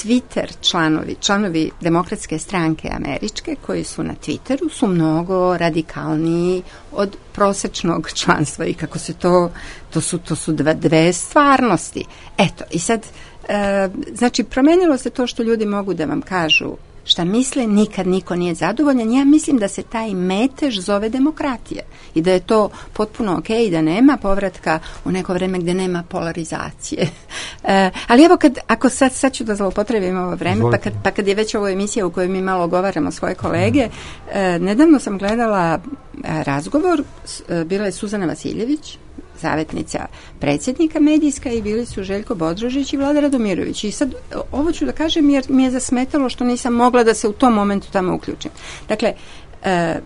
Twitter članovi, članovi Demokratske stranke američke koji su na Twitteru su mnogo radikalniji od prosečnog članstva i kako se to, to su, to su dve, dve stvarnosti. Eto, i sad, e, znači, promenilo se to što ljudi mogu da vam kažu šta misle, nikad niko nije zadovoljan. Ja mislim da se taj metež zove demokratija i da je to potpuno ok i da nema povratka u neko vreme gde nema polarizacije. E, ali evo, kad, ako sad, sad ću da zloupotrebim ovo vreme, pa kad, pa kad je već ovo emisija u kojoj mi malo govaramo svoje kolege, e, nedavno sam gledala e, razgovor, e, bila je Suzana Vasiljević, savjetnica predsjednika medijska i bili su Željko Bodrožić i Vlada Radomirović. I sad ovo ću da kažem jer mi je zasmetalo što nisam mogla da se u tom momentu tamo uključim. Dakle, e,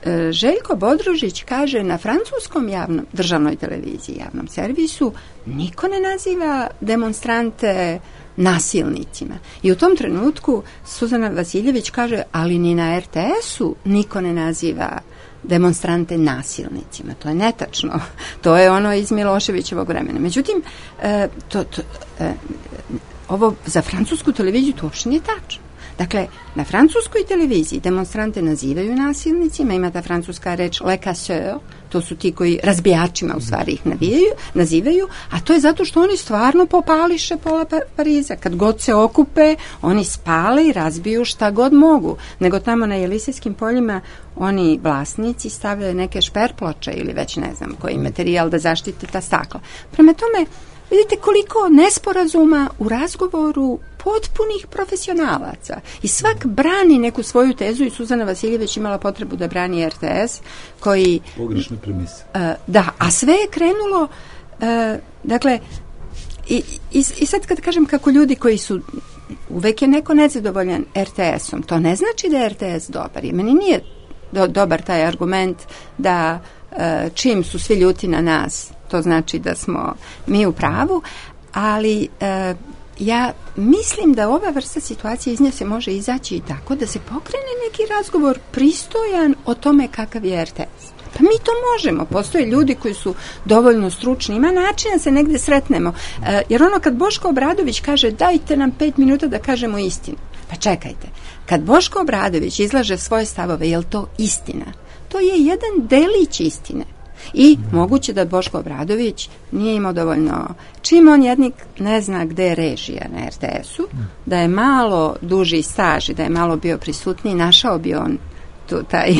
e, Željko Bodrožić kaže na francuskom javnom, državnoj televiziji, javnom servisu, niko ne naziva demonstrante nasilnicima. I u tom trenutku Suzana Vasiljević kaže, ali ni na er te esu niko ne naziva demonstrante nasilnicima. To je netačno. To je ono iz Miloševićevog vremena. Međutim, e, to, to, e, ovo za francusku televiziju to uopšte nije tačno. Dakle, na francuskoj televiziji demonstrante nazivaju nasilnicima, ima ta francuska reč le casseur, to su ti koji razbijačima u stvari ih navijaju, nazivaju, a to je zato što oni stvarno popališe pola Pariza. Kad god se okupe, oni spale i razbiju šta god mogu. Nego tamo na Jelisejskim poljima oni vlasnici stavljaju neke šperploče ili već ne znam koji materijal da zaštite ta stakla. Prema tome, vidite koliko nesporazuma u razgovoru potpunih profesionalaca. I svak brani neku svoju tezu i Suzana Vasiljević imala potrebu da brani er te es koji... Pogrešne premise. Uh, da, a sve je krenulo uh, dakle i, i, i sad kad kažem kako ljudi koji su uvek je neko nezadovoljan er te esom, to ne znači da je er te es dobar. I meni nije do, dobar taj argument da uh, čim su svi ljuti na nas, to znači da smo mi u pravu, ali uh, ja mislim da ova vrsta situacije iz nje se može izaći i tako da se pokrene neki razgovor pristojan o tome kakav je er te es. Pa mi to možemo, postoje ljudi koji su dovoljno stručni, ima načina da se negde sretnemo, e, jer ono kad Boško Obradović kaže dajte nam pet minuta da kažemo istinu, pa čekajte, kad Boško Obradović izlaže svoje stavove, je li to istina? To je jedan delić istine. I moguće da Boško Obradović nije imao dovoljno, čim on jednik ne zna gde je režija na er te esu, da je malo duži staž i da je malo bio prisutniji, našao bi on tu, taj,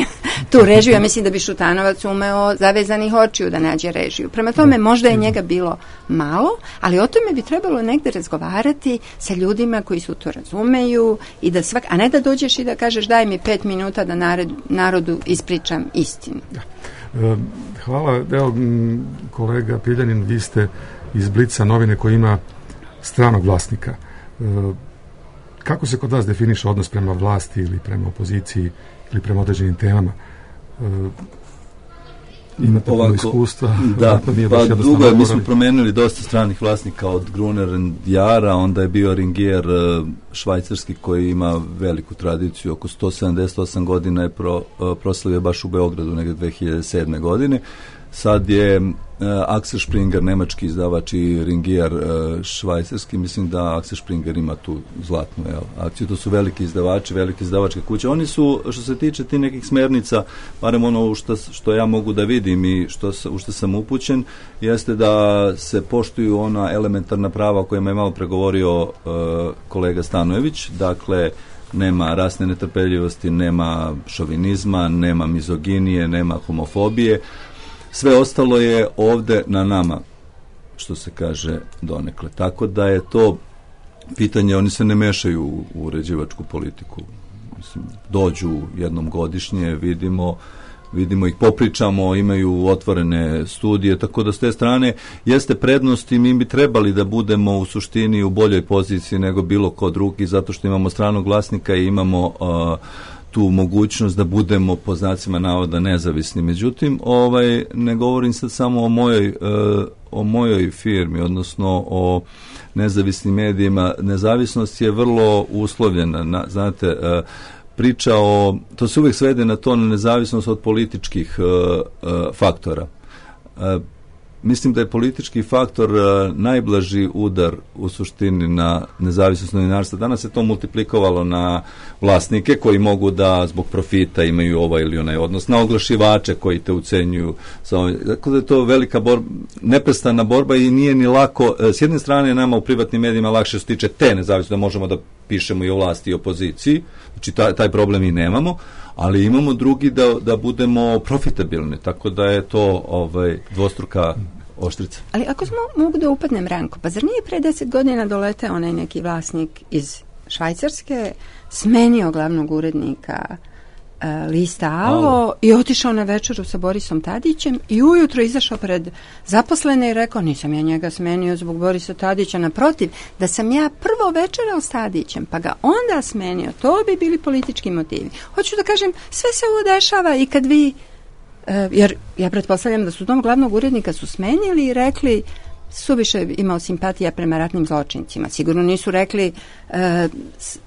tu režiju. Ja mislim da bi Šutanovac umeo zavezanih očiju da nađe režiju. Prema tome, možda je njega bilo malo, ali o tome bi trebalo negde razgovarati sa ljudima koji su to razumeju, i da svak, a ne da dođeš i da kažeš daj mi pet minuta da narod, narodu ispričam istinu. Hvala. Evo, kolega Piljanin, vi ste iz Blica, novine koja ima stranog vlasnika. Kako se kod vas definiše odnos prema vlasti ili prema opoziciji ili prema određenim temama? Imate puno iskustva? Da, pa dugo je, mi smo promenili dosta stranih vlasnika, od Gruner and Jara, onda je bio Ringier švajcarski koji ima veliku tradiciju, oko sto sedamdeset osam godina je pro, proslavio baš u Beogradu negde dve hiljade sedme godine. Sad je uh, Axel Springer, nemački izdavač, i Ringier uh, švajcarski. Mislim da Axel Springer ima tu zlatnu jel, akciju. To su veliki izdavači, velike izdavačke kuće. Oni su, što se tiče ti nekih smernica, barem ono što, što ja mogu da vidim i što, u što sam upućen, jeste da se poštuju ona elementarna prava o kojima je malo pregovorio uh, kolega Stanojević. Dakle, nema rasne netrpeljivosti, nema šovinizma, nema mizoginije, nema homofobije. Sve ostalo je ovde na nama, što se kaže donekle. Tako da je to pitanje, oni se ne mešaju u uređivačku politiku. Mislim, dođu jednom godišnje, vidimo, vidimo ih, popričamo, imaju otvorene studije, tako da s te strane jeste prednost i mi bi trebali da budemo u suštini u boljoj poziciji nego bilo ko drugi, zato što imamo stranog vlasnika i imamo uh, tu mogućnost da budemo po znacima navoda nezavisni. Međutim, ovaj, ne govorim sad samo o mojoj, uh, o mojoj firmi, odnosno o nezavisnim medijima. Nezavisnost je vrlo uslovljena. Na, znate, uh, priča o, to se uvijek svede na to, na nezavisnost od političkih uh, uh, faktora. Uh, Mislim da je politički faktor uh, najblaži udar u suštini na nezavisnost novinarstva. Danas se to multiplikovalo na vlasnike koji mogu da zbog profita imaju ovaj ili onaj odnos, na oglašivače koji te ucenjuju. Tako da je to velika borba, neprestana borba i nije ni lako. S jedne strane nama u privatnim medijima lakše se tiče te nezavisnosti, da možemo da pišemo i o vlasti i opoziciji, znači taj, taj problem i nemamo, ali imamo drugi da, da budemo profitabilni, tako da je to ovaj, dvostruka oštrica. Ali ako smo, mogu da upadnem, Ranko, pa zar nije pre deset godina doleteo onaj neki vlasnik iz Švajcarske, smenio glavnog urednika uh, lista Alo, Alo i otišao na večeru sa Borisom Tadićem i ujutro izašao pred zaposlene i rekao, nisam ja njega smenio zbog Borisa Tadića, naprotiv, da sam ja prvo večerao s Tadićem, pa ga onda smenio, to bi bili politički motivi. Hoću da kažem, sve se ovo dešava i kad vi, uh, jer ja pretpostavljam da su tom glavnog urednika su smenili i rekli, suviše imao simpatija prema ratnim zločincima. Sigurno nisu rekli e,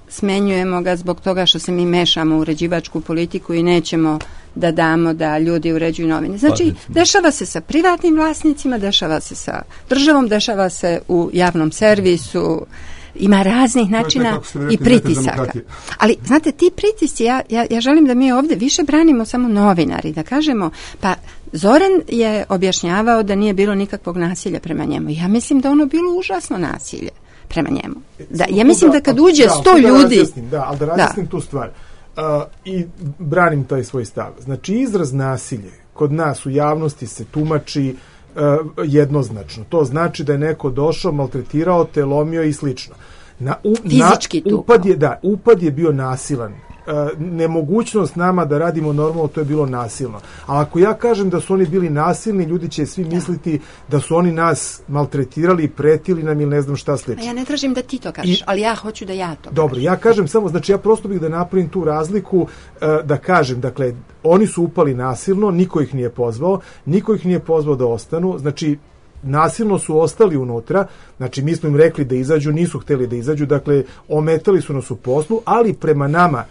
smenjujemo ga zbog toga što se mi mešamo u uređivačku politiku i nećemo da damo da ljudi uređuju novine. Znači, dešava se sa privatnim vlasnicima, dešava se sa državom, dešava se u javnom servisu, ima raznih načina i pritisaka. Ali, znate, ti pritisci, ja, ja, ja želim da mi ovdje više branimo samo novinari, da kažemo, pa Zoran je objašnjavao da nije bilo nikakvog nasilja prema njemu. Ja mislim da ono bilo užasno nasilje prema njemu. Da, ja mislim da kad uđe sto ljudi... Da, ali da razjasnim tu stvar. Uh, I branim taj svoj stav. Znači, izraz nasilje kod nas u javnosti se tumači uh, jednoznačno. To znači da je neko došao, maltretirao te, lomio i slično. Na, u, Fizički na, upad je, da, upad je bio nasilan. Uh, nemogućnost nama da radimo normalno, to je bilo nasilno. Ali ako ja kažem da su oni bili nasilni, ljudi će svi misliti da su oni nas maltretirali, pretili nam ili ne znam šta slično. A ja ne tražim da ti to kažeš, I, ali ja hoću da ja to Dobro, kažem. ja kažem samo, znači ja prosto bih da napravim tu razliku, uh, da kažem, dakle, oni su upali nasilno, niko ih nije pozvao, niko ih nije pozvao da ostanu, znači nasilno su ostali unutra, znači mi smo im rekli da izađu, nisu hteli da izađu, dakle, ometali su nas u poslu, ali prema nama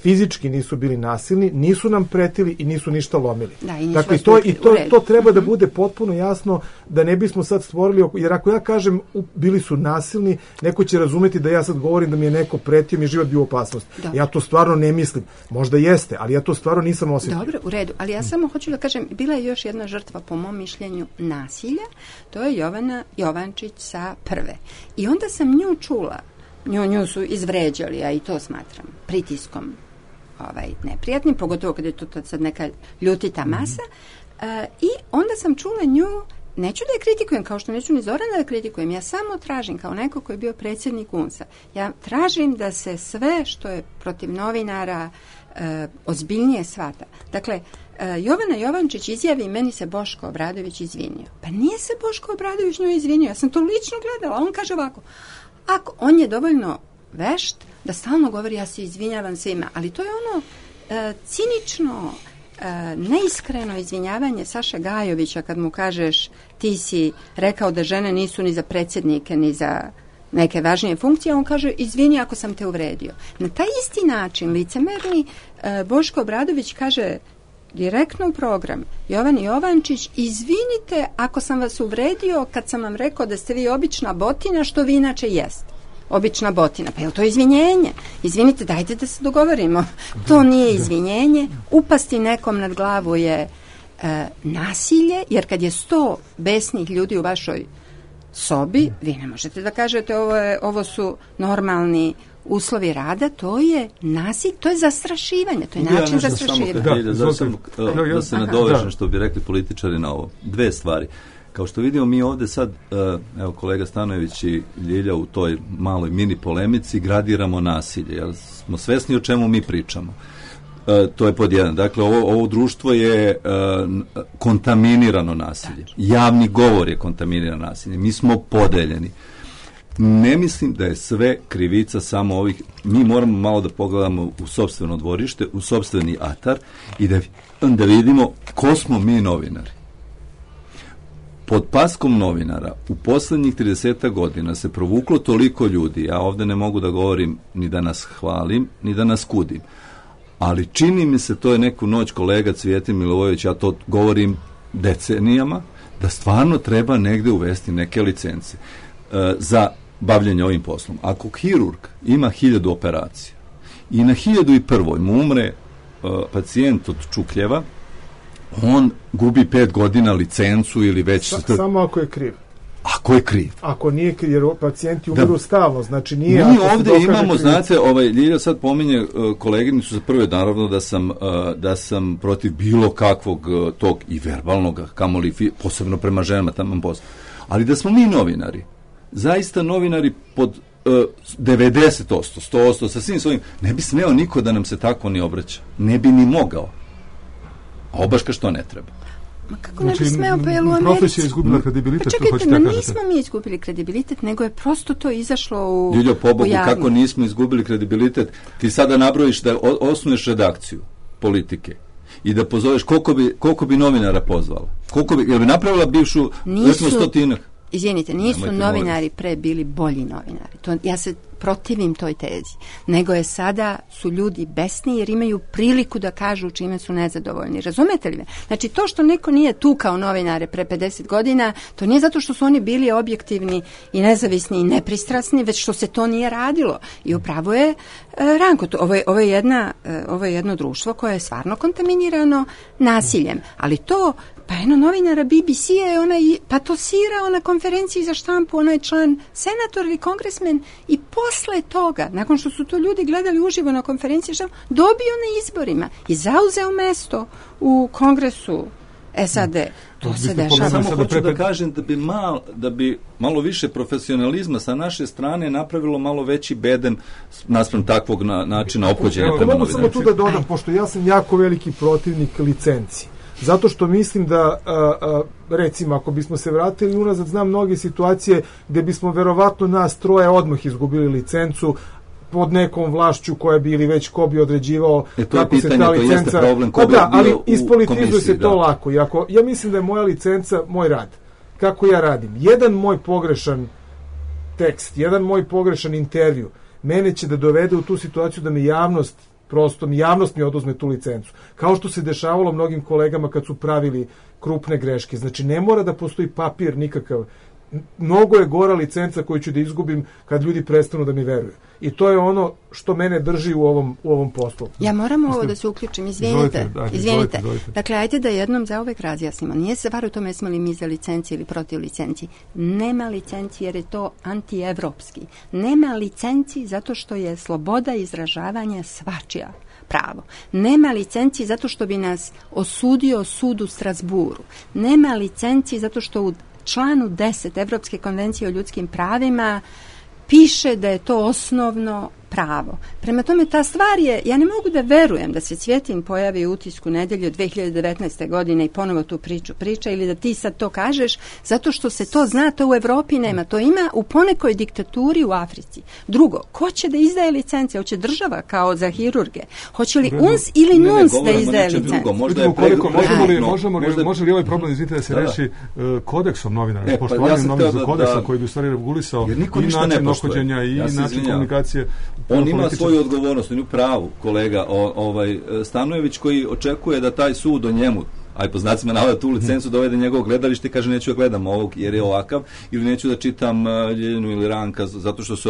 fizički nisu bili nasilni, nisu nam pretili i nisu ništa lomili. Da, i dakle, to, i to, to treba da bude potpuno jasno, da ne bismo sad stvorili, jer ako ja kažem bili su nasilni, neko će razumeti da ja sad govorim da mi je neko pretio, mi je život bio u opasnosti. Ja to stvarno ne mislim. Možda jeste, ali ja to stvarno nisam osjetio. Dobro, u redu, ali ja samo hoću da kažem, bila je još jedna žrtva, po mom mišljenju, nasilja, to je Jovana Jovančić sa Prve. I onda sam nju čula, nju, nju su izvređali, a i to smatram pritiskom ovaj, neprijatnim, pogotovo kada je to sad neka ljutita masa. Uh, I onda sam čula nju, neću da je kritikujem, kao što neću ni Zorana da kritikujem, ja samo tražim, kao neko koji je bio predsjednik U N S A, ja tražim da se sve što je protiv novinara uh, ozbiljnije shvata. Dakle, uh, Jovana Jovančić izjavi, meni se Boško Obradović izvinio. Pa nije se Boško Obradović njoj izvinio, ja sam to lično gledala, on kaže ovako, ako on je dovoljno vešt da stalno govori ja se izvinjavam svima, ali to je ono e, cinično, e, neiskreno izvinjavanje Saše Gajovića kad mu kažeš ti si rekao da žene nisu ni za predsjednike ni za neke važnije funkcije, on kaže izvini ako sam te uvredio. Na taj isti način licemerni e, Boško Obradović kaže direktno u program Jovani Jovančić, izvinite ako sam vas uvredio kad sam vam rekao da ste vi obična botina, što vi inače jeste. Obična botina. Pa je li to izvinjenje? Izvinite, dajte da se dogovorimo. To nije izvinjenje. Upasti nekom nad glavu je e, nasilje, jer kad je sto besnih ljudi u vašoj sobi, vi ne možete da kažete ovo, je, ovo su normalni uslovi rada, to je nasilje, to je zastrašivanje, to je način ja zastrašivanja. Da, da, sam, da se nadovežem što bi rekli političari na ovo. Dve stvari. Kao što vidimo mi ovdje sad, evo kolega Stanojević i Ljilja u toj maloj mini polemici gradiramo nasilje, jer smo svesni o čemu mi pričamo. E, to je pod jedan. Dakle, ovo, ovo društvo je e, kontaminirano nasilje. Javni govor je kontaminirano nasilje. Mi smo podeljeni. Ne mislim da je sve krivica samo ovih, mi moramo malo da pogledamo u sopstveno dvorište, u sopstveni atar i da, da vidimo ko smo mi novinari. Pod paskom novinara u poslednjih trideset godina se provuklo toliko ljudi, ja ovde ne mogu da govorim ni da nas hvalim, ni da nas kudim, ali čini mi se, to je neku noć kolega Cvijetin Milivojević, ja to govorim decenijama, da stvarno treba negde uvesti neke licence e, za bavljanje ovim poslom. Ako hirurg ima hiljadu operacija i na hiljadu i prvoj mu umre e, pacijent od čukljeva, on gubi pet godina licencu ili već... Sa, samo ako je kriv. Ako je kriv. Ako nije kriv, jer pacijenti umiru da. Stalno, znači nije... Mi ovdje imamo, kriv. Znate, ovaj, Ljilja sad pominje uh, koleginicu za prve, naravno da sam, uh, da sam protiv bilo kakvog uh, tog i verbalnog, kamoli, fi, posebno prema ženama, tamo posto. Ali da smo mi novinari, zaista novinari pod uh, devedeset posto, sto posto, sa svim svojim, ne bi smeo niko da nam se tako ni obraća. Ne bi ni mogao. A obaška što ne treba. Ma kako znači, ne bi smeo, pa je u Americi... Profesija je izgubila kredibilitet, pa čekajte, ma da nismo mi izgubili kredibilitet, nego je prosto to izašlo u, Ljuljo, pobogu, u javnost. Kako nismo izgubili kredibilitet? Ti sada nabrojiš da osnuješ redakciju politike i da pozoveš koliko bi, koliko bi novinara pozvala. Koliko bi, jel bi napravila bivšu, recimo stotinak? Izvinite, nisu Nemojte novinari moći. Pre bili bolji novinari. To, ja se protivim toj tezi. Nego je sada su ljudi besni jer imaju priliku da kažu čime su nezadovoljni. Razumete li me? Znači to što neko nije tukao novinare pre pedeset godina, to nije zato što su oni bili objektivni i nezavisni i nepristrasni, već što se to nije radilo. I upravo je e, Ranko, to, ovo, je, ovo, je jedna, e, ovo je jedno društvo koje je stvarno kontaminirano nasiljem. Ali to pa jedno novinara B B C je ona i patosirao na konferenciji za štampu, ona je član senator ili kongresmen i posle toga, nakon što su to ljudi gledali uživo na konferenciji, dobio na izborima i zauzeo mesto u kongresu S A D. To se dešava. Samo hoću da kažem da bi, mal, da bi malo više profesionalizma sa naše strane napravilo malo veći bedem naspram takvog na, načina ophođenja prema novinarima. Samo tu da dodam, pošto ja sam jako veliki protivnik licenci. Zato što mislim da, a, a, recimo, ako bismo se vratili unazad, znam mnoge situacije gde bismo verovatno nas troje odmah izgubili licencu pod nekom vlašću koja bi ili već ko bi određivao e, kako pitanje, se ta licenca... Problem, pa da, ali ispolitizuje se to da. Lako. I ako, ja mislim da je moja licenca moj rad. Kako ja radim? Jedan moj pogrešan tekst, jedan moj pogrešan intervju, mene će da dovede u tu situaciju da me javnost prosto mi javnost mi oduzme tu licencu. Kao što se dešavalo mnogim kolegama kad su pravili krupne greške. Znači, ne mora da postoji papir nikakav. Mnogo je gora licenca koju ću da izgubim kad ljudi prestanu da mi veruju. I to je ono što mene drži u ovom, u ovom poslu. Ja moram ovo da se uključim, izvinite. Izvolite, izvinite. izvolite. Dakle, ajde da jednom zauvek razjasnimo. Nije se stvar u tome smo li mi za licenci ili protiv licenci. Nema licenci jer je to antievropski. Nema licenci zato što je sloboda izražavanja svačija pravo. Nema licenci zato što bi nas osudio sud u Strasburu. Nema licenci zato što u članu deset Evropske konvencije o ljudskim pravima piše da je to osnovno pravo. Prema tome, ta stvar je, ja ne mogu da verujem da se Cvjetin pojavi u Utisku nedelju dve hiljade devetnaeste. godine i ponovo tu priču priča ili da ti sad to kažeš, zato što se to zna, to u Evropi nema. To ima u ponekoj diktaturi u Africi. Drugo, ko će da izdaje licence? Hoće država kao za hirurge? Hoće li uns ili ne, nuns ne, da izdaje licence? Možda je koliko, možemo li, možemo, možda... može li ovaj problem, izvite, da se da, reši uh, kodeksom novinara, e, poštovanjem ja novinarskog kodeksa da, koji bi u stvari regulisao i način ophođenja i ja način izvinjam. komunikacije. On ima svoju odgovornost, on je u pravu, kolega o, ovaj, Stanojević koji očekuje da taj sud o njemu, aj po znacima navoda tu licencu dovede njegovog gledalište i kaže neću da gledam ovog jer je ovakav, ili neću da čitam uh, Ljeljinu ili Ranka zato što se,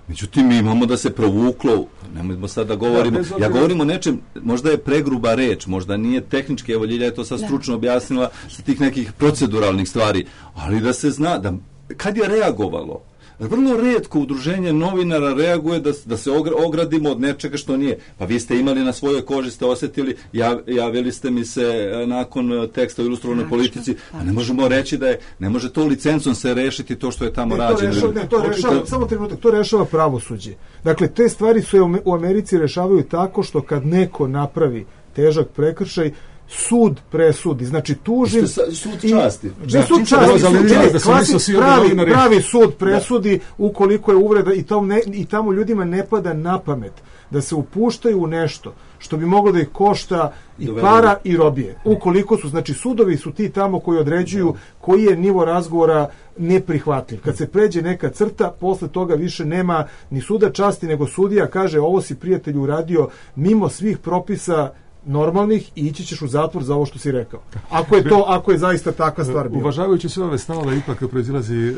međutim mi imamo da se provuklo, nemojmo sad da govorimo, ja, ja govorim o nečem, možda je pregruba reč, možda nije tehnički, evo Ljilja je to sad stručno objasnila sa tih nekih proceduralnih stvari, ali da se zna, da kad je reagovalo, vrlo retko udruženje novinara reaguje da, da se ogradimo od nečega što nije. Pa vi ste imali na svojoj koži, ste osjetili, jav, javili ste mi se nakon teksta o ilustrovanoj politici, a ne možemo reći da je, ne može to licencom se rešiti to što je tamo ne, rađeno. To rešava, ne, to rešava, samo trenutak, to rešava pravosuđe. Dakle, te stvari se u Americi rešavaju tako što kad neko napravi težak prekršaj, sud presudi, znači tužim sud časti. Da, sud časti, pravi, pravi sud presudi ukoliko je uvreda i, tom ne, i tamo ljudima ne pada na pamet da se upuštaju u nešto što bi moglo da ih košta i Dovedeno. para i robije. Ukoliko su, znači sudovi su ti tamo koji određuju koji je nivo razgovora neprihvatljiv. Kad se pređe neka crta, posle toga više nema ni suda časti, nego sudija kaže ovo si prijatelju uradio mimo svih propisa normalnih i ići ćeš u zatvor za ovo što si rekao. Ako je to, ako je zaista takva stvar bila. Uvažavajući sve ove stavove, ipak proizilazi e,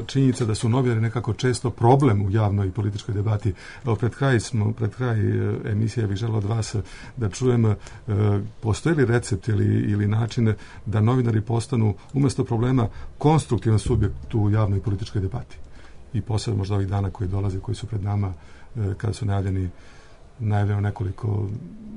činjenica da su novinari nekako često problem u javnoj i političkoj debati. Evo, pred kraj smo, pred kraj e, emisije bih želeo od vas da čujem e, postoji li recept ili, ili način da novinari postanu umjesto problema konstruktivan subjekt u javnoj i političkoj debati. I posebno možda ovih dana koji dolaze, koji su pred nama, e, kada su najavljeni najavljeno nekoliko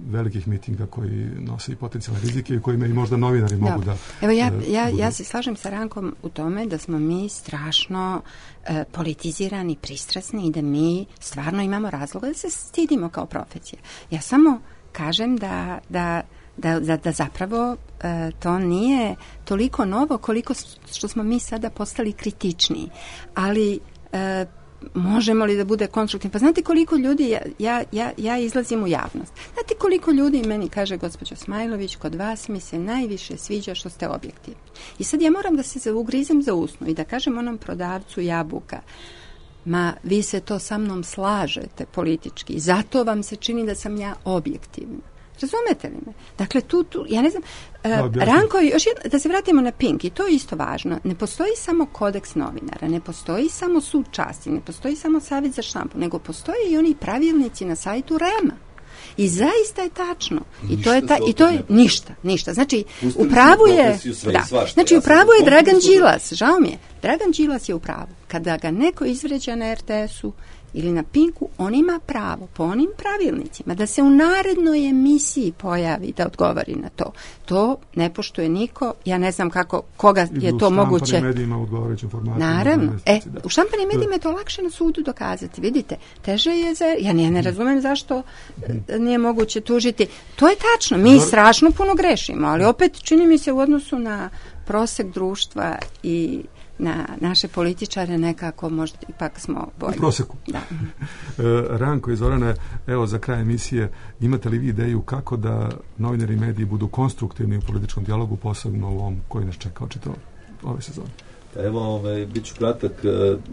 velikih mitinga koji nose i potencijalne rizike i kojima i možda novinari da. mogu da... Evo ja, ja, ja se slažem sa Rankom u tome da smo mi strašno e, politizirani, pristrasni i da mi stvarno imamo razloga da se stidimo kao profesija. Ja samo kažem da, da, da, da, da zapravo e, to nije toliko novo koliko što smo mi sada postali kritičniji. Ali... E, možemo li da bude konstruktivno? Pa znate koliko ljudi, ja, ja, ja, ja izlazim u javnost. Znate koliko ljudi meni kaže gospođo Smajlović, kod vas mi se najviše sviđa što ste objektivni. I sad ja moram da se ugrizem za usnu i da kažem onom prodavcu jabuka, ma vi se to sa mnom slažete politički, zato vam se čini da sam ja objektivna. Razumete li me? Dakle, tu, tu ja ne znam, uh, Ranko, još jedno, da se vratimo na Pink, i to je isto važno, ne postoji samo kodeks novinara, ne postoji samo sud časti, ne postoji samo savjet za štampu, nego postoje i oni pravilnici na sajtu Rema. I zaista je tačno. I ništa to je ta, i to je ništa, ništa. Znači, u pravu je da, znači, u pravu je Dragan Đilas, žao mi je, Dragan Đilas je u pravu. Kada ga neko izvređa na er te esu ili na Pinku, on ima pravo po onim pravilnicima da se u narednoj emisiji pojavi da odgovori na to. To ne poštuje niko, ja ne znam kako, koga je to moguće. U štampanim medijima odgovarajuće informacije. Naravno. E, u štampanim medijima je to lakše na sudu dokazati. Vidite, teže je za... Ja ne, ne razumem zašto nije moguće tužiti. To je tačno, mi strašno puno grešimo, ali opet čini mi se u odnosu na prosek društva i na naše političare nekako možda ipak smo bolji. U proseku. Da. Ranko iz Orane, evo za kraj emisije, imate li vi ideju kako da novinari i mediji budu konstruktivni u političkom dijalogu, posebno u ovom koji nas čeka očito ove sezone? Evo, ovaj, bit ću kratak.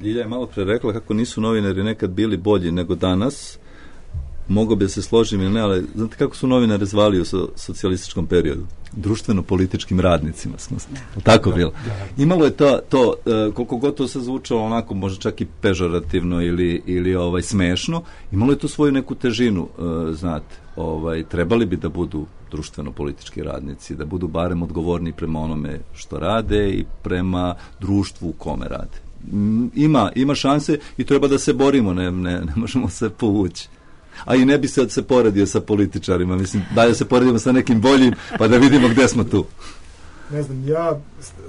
Ljilja je malo pre rekla kako nisu novinari nekad bili bolji nego danas. mogo bi da se složim ili ne, ali znate kako su novinare zvali u so, socijalističkom periodu? Društveno-političkim radnicima smo. Da. Tako bilo. Imalo je to, to uh, koliko god to se zvučalo onako, možda čak i pežorativno ili, ili ovaj, smešno, imalo je to svoju neku težinu, uh, znate. Ovaj, trebali bi da budu društveno-politički radnici, da budu barem odgovorni prema onome što rade i prema društvu u kome rade. Ima, ima šanse i treba da se borimo, ne, ne, ne možemo se povući. A i ne bi se, se poredio sa političarima, mislim, da se poredimo sa nekim boljim, pa da vidimo gde smo tu. Ne znam, ja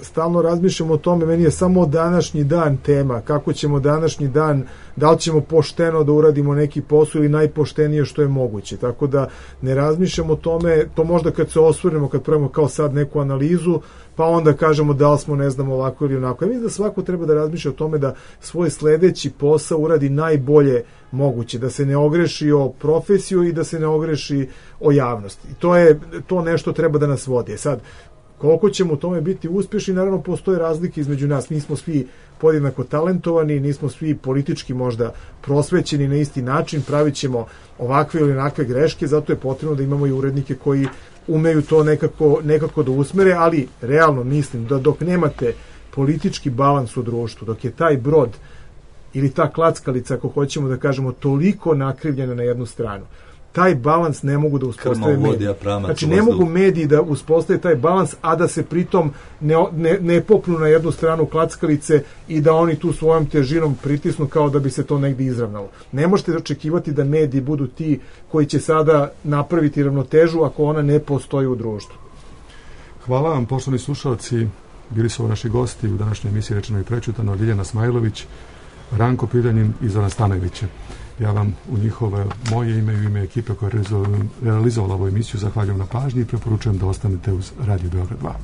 stalno razmišljam o tome, meni je samo današnji dan tema, kako ćemo današnji dan, da li ćemo pošteno da uradimo neki posao ili najpoštenije što je moguće, tako da ne razmišljam o tome, to možda kad se osvrnemo, kad pravimo kao sad neku analizu, pa onda kažemo da li smo, ne znam, ovako ili onako. Ja mislim da svako treba da razmišlja o tome da svoj sledeći posao uradi najbolje moguće, da se ne ogreši o profesiju i da se ne ogreši o javnosti. I to je, to nešto treba da nas vodi. Sad, koliko ćemo u tome biti uspješni, naravno postoje razlike između nas. Nismo svi podjednako talentovani, nismo svi politički možda prosvećeni na isti način, pravit ćemo ovakve ili onakve greške, zato je potrebno da imamo i urednike koji umeju to nekako, nekako da usmere, ali realno mislim da dok nemate politički balans u društvu, dok je taj brod ili ta klackalica, ako hoćemo da kažemo, toliko nakrivljena na jednu stranu, taj balans ne mogu da uspostave mediji. Znači ne mogu mediji da uspostave taj balans, a da se pritom ne, ne, ne popnu na jednu stranu klackalice i da oni tu svojom težinom pritisnu kao da bi se to negdje izravnalo. Ne možete očekivati da mediji budu ti koji će sada napraviti ravnotežu ako ona ne postoji u društvu. Hvala vam, poštovani slušalci. Bili su ovo naši gosti u današnjoj emisiji Rečeno i prečutano, Ljiljana Smajlović, Ranko Piljanin i Zoran Stanojević. Ja vam u njihovo moje ime i u ime ekipe koja je realizovala ovu emisiju zahvaljujem na pažnji i preporučujem da ostanete uz Radio Beograd dva.